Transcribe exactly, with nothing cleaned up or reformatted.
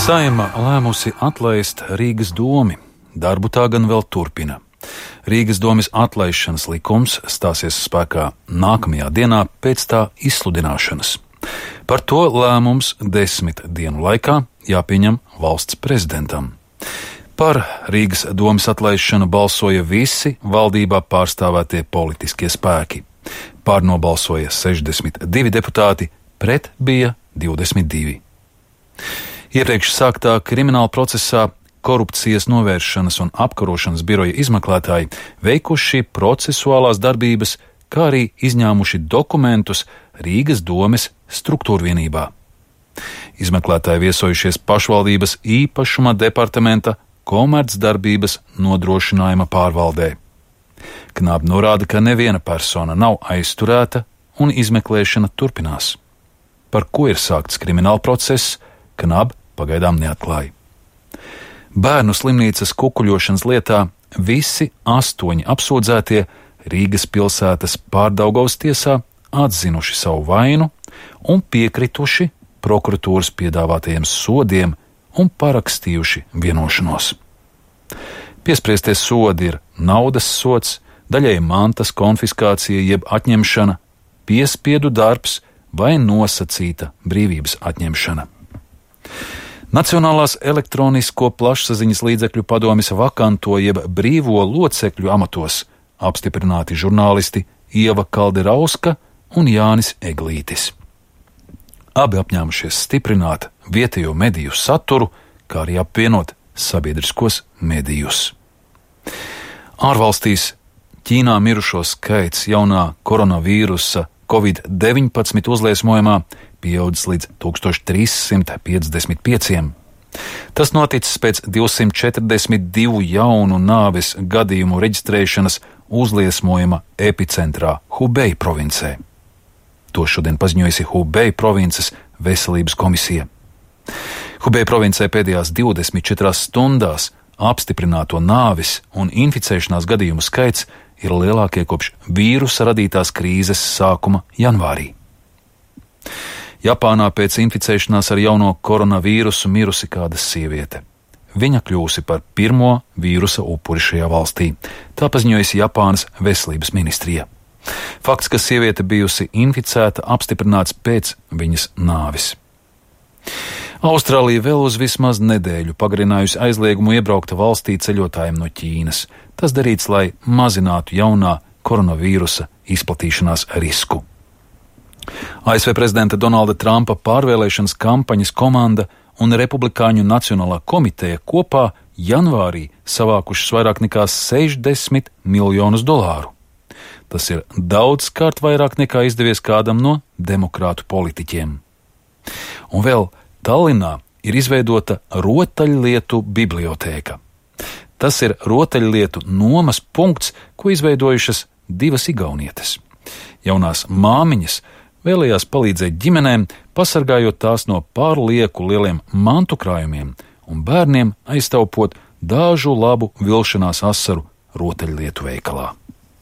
Saeima lēmusi atlaist Rīgas domi. Darbu tā gan vēl turpina. Rīgas domes atlaišanas likums stāsies spēkā nākamajā dienā pēc tā izsludināšanas. Par to lēmums desmit dienu laikā jāpieņem valsts prezidentam. Par Rīgas domes atlaišanu balsoja visi valdībā pārstāvētie politiskie spēki. Pār nobalsoja sešdesmit divi deputāti, pret bija divdesmit divi. Iepriekš sāktā krimināla procesā Korupcijas novēršanas un apkarošanas biroja izmeklētāji veikuši procesuālās darbības, kā arī izņēmuši dokumentus Rīgas domes struktūrvienībā. Izmeklētāji viesojušies pašvaldības īpašuma departamenta komercdarbības nodrošinājuma pārvaldē. Knāb norāda, ka neviena persona nav aizturēta un izmeklēšana turpinās. Par ko ir sākts krimināla process, Knāb pagaidām neatklāja. Bērnu slimnīcas kukuļošanas lietā visi astoņi apsūdzētie Rīgas pilsētas Pārdaugavas tiesā atzinuši savu vainu un piekrituši prokuratūras piedāvātajiem sodiem un parakstījuši vienošanos. Piespriestie sodi ir naudas sods, daļēji mantas konfiskācija jeb atņemšana, piespiedu darbs vai nosacīta brīvības atņemšana. Nacionālās elektronisko plašsaziņas līdzekļu padomes vakanto jeb brīvo locekļu amatos apstiprināti žurnālisti Ieva Kalderauska un Jānis Eglītis. Abi apņēmušies stiprināt vietējo mediju saturu, kā arī apvienot sabiedriskos medijus. Ārvalstīs Ķīnā mirušo skaits jaunā koronavīrusa covid deviņpadsmit uzliesmojumā pieaudzis līdz tūkstoš trīs simt piecdesmit pieciem. Tas noticis pēc divsimt četrdesmit divu jaunu nāves gadījumu reģistrēšanas uzliesmojuma epicentrā Hubei provincē. To šodien paziņojusi Hubei provinces veselības komisija. Hubei provincē pēdējās divdesmit četrās stundās apstiprināto nāves un inficēšanās gadījumu skaits ir lielākie kopš vīrusa radītās krīzes sākuma janvārī. Japānā pēc inficēšanās ar jauno koronavīrusu mirusi kāda sieviete. Viņa kļūsi par pirmo vīrusa upuri šajā valstī. Tā paziņojusi Japānas veselības ministrija. Fakts, ka sieviete bijusi inficēta, apstiprināts pēc viņas nāves. Austrālija vēl uz vismaz nedēļu pagarinājusi aizliegumu iebraukt valstī ceļotājiem no Ķīnas. Tas darīts, lai mazinātu jaunā koronavīrusa izplatīšanās risku. A S V prezidenta Donalda Trumpa pārvēlēšanas kampaņas komanda un Republikāņu Nacionālā komiteja kopā janvārī savākušas vairāk nekā sešdesmit miljonus dolāru. Tas ir daudzkārt vairāk nekā izdevies kādam no demokrātu politiķiem. Un vēl Tallinā ir izveidota rotaļlietu bibliotēka. Tas ir rotaļlietu nomas punkts, ko izveidojušas divas igaunietes. Jaunās māmiņas vēlējās palīdzēt ģimenēm, pasargājot tās no pārlieku lieliem mantu krājumiem un bērniem aiztaupot dažu labu vilšanās asaru rotaļlietu veikalā.